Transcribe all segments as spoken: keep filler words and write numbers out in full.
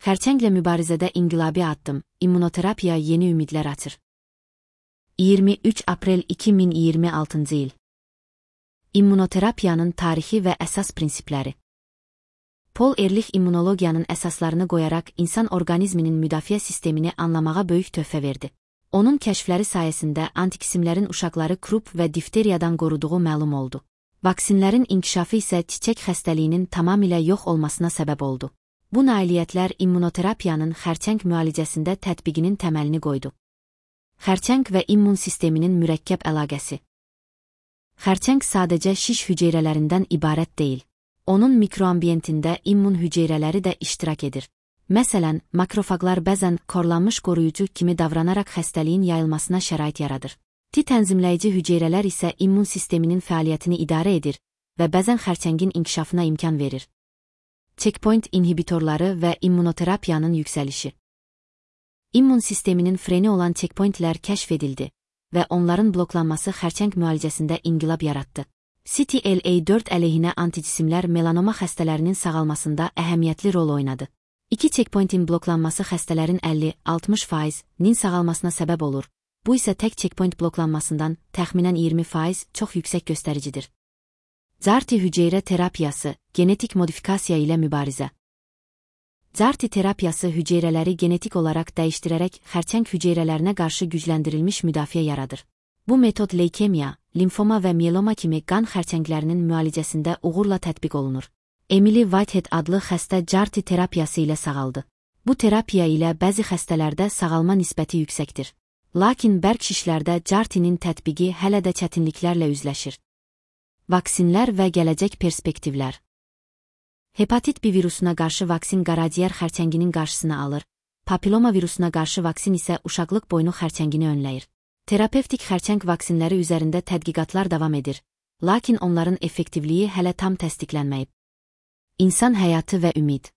Xərçənglə mübarizədə inqilabi addım, immunoterapiya yeni ümidlər açır. iyirmi üç aprel iki min iyirmi altıncı il. İmmunoterapiyanın tarixi və əsas prinsipləri. Paul Ehrlich immunologiyanın əsaslarını qoyaraq insan orqanizminin müdafiə sistemini anlamağa böyük töhfə verdi. Onun kəşfləri sayəsində antikisimlərin uşaqları krup və difteriyadan qoruduğu məlum oldu. Vaksinlərin inkişafı isə çiçək xəstəliyinin tamamilə yox olmasına səbəb oldu. Bu nailiyyətlər immunoterapiyanın xərçəng müalicəsində tətbiqinin təməlini qoydu. Xərçəng və immun sisteminin mürəkkəb əlaqəsi. Xərçəng sadəcə şiş hüceyrələrindən ibarət deyil. Onun mikroambiyentində immun hüceyrələri də iştirak edir. Məsələn, makrofaqlar bəzən korlanmış qoruyucu kimi davranaraq xəstəliyin yayılmasına şərait yaradır. T tənzimləyici hüceyrələr isə immun sisteminin fəaliyyətini idarə edir və bəzən xərçəngin inkişafına imkan verir. Checkpoint inhibitorları və immunoterapiyanın yüksəlişi. İmmun sisteminin freni olan checkpointlər kəşf edildi və onların bloklanması xərçəng müalicəsində inqilab yaratdı. C T L A dörd əleyhinə antijisimlər melanoma xəstələrinin sağalmasında əhəmiyyətli rol oynadı. İki checkpointin bloklanması xəstələrin əlli altmış faizinin sağalmasına səbəb olur. Bu isə tək checkpoint bloklanmasından təxminən iyirmi faiz çox yüksək göstəricidir. CAR-T hüceyrə terapiyası, genetik modifikasiya ilə mübarizə. CAR-T terapiyası hüceyrələri genetik olaraq dəyişdirərək xərçəng hüceyrələrinə qarşı gücləndirilmiş müdafiə yaradır. Bu metod leykemiya, limfoma və mieloma kimi qan xərçənglərinin müalicəsində uğurla tətbiq olunur. Emily Whitehead adlı xəstə CAR-T terapiyası ilə sağaldı. Bu terapiya ilə bəzi xəstələrdə sağalma nisbəti yüksəkdir. Lakin bərk şişlərdə CAR-T-nin tətbiqi hələ də çətinliklərlə üzləşir. Vaksinlər və gələcək perspektivlər. Hepatit B virusuna qarşı vaksin qaraciyər xərçənginin qarşısını alır, papiloma virusuna qarşı vaksin isə uşaqlıq boynu xərçəngini önləyir. Terapevtik xərçəng vaksinləri üzərində tədqiqatlar davam edir, lakin onların effektivliyi hələ tam təsdiqlənməyib. İnsan həyatı və ümid.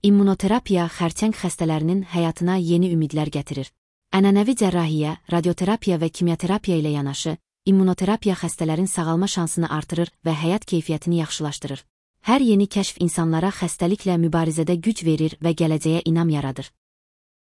İmmunoterapiya xərçəng xəstələrinin həyatına yeni ümidlər gətirir. Ənənəvi cərrahiyyə, radioterapiya və kimyaterapiya ilə yanaşı, immunoterapiya xəstələrin sağalma şansını artırır və həyat keyfiyyətini yaxşılaşdırır. Hər yeni kəşf insanlara xəstəliklə mübarizədə güc verir və gələcəyə inam yaradır.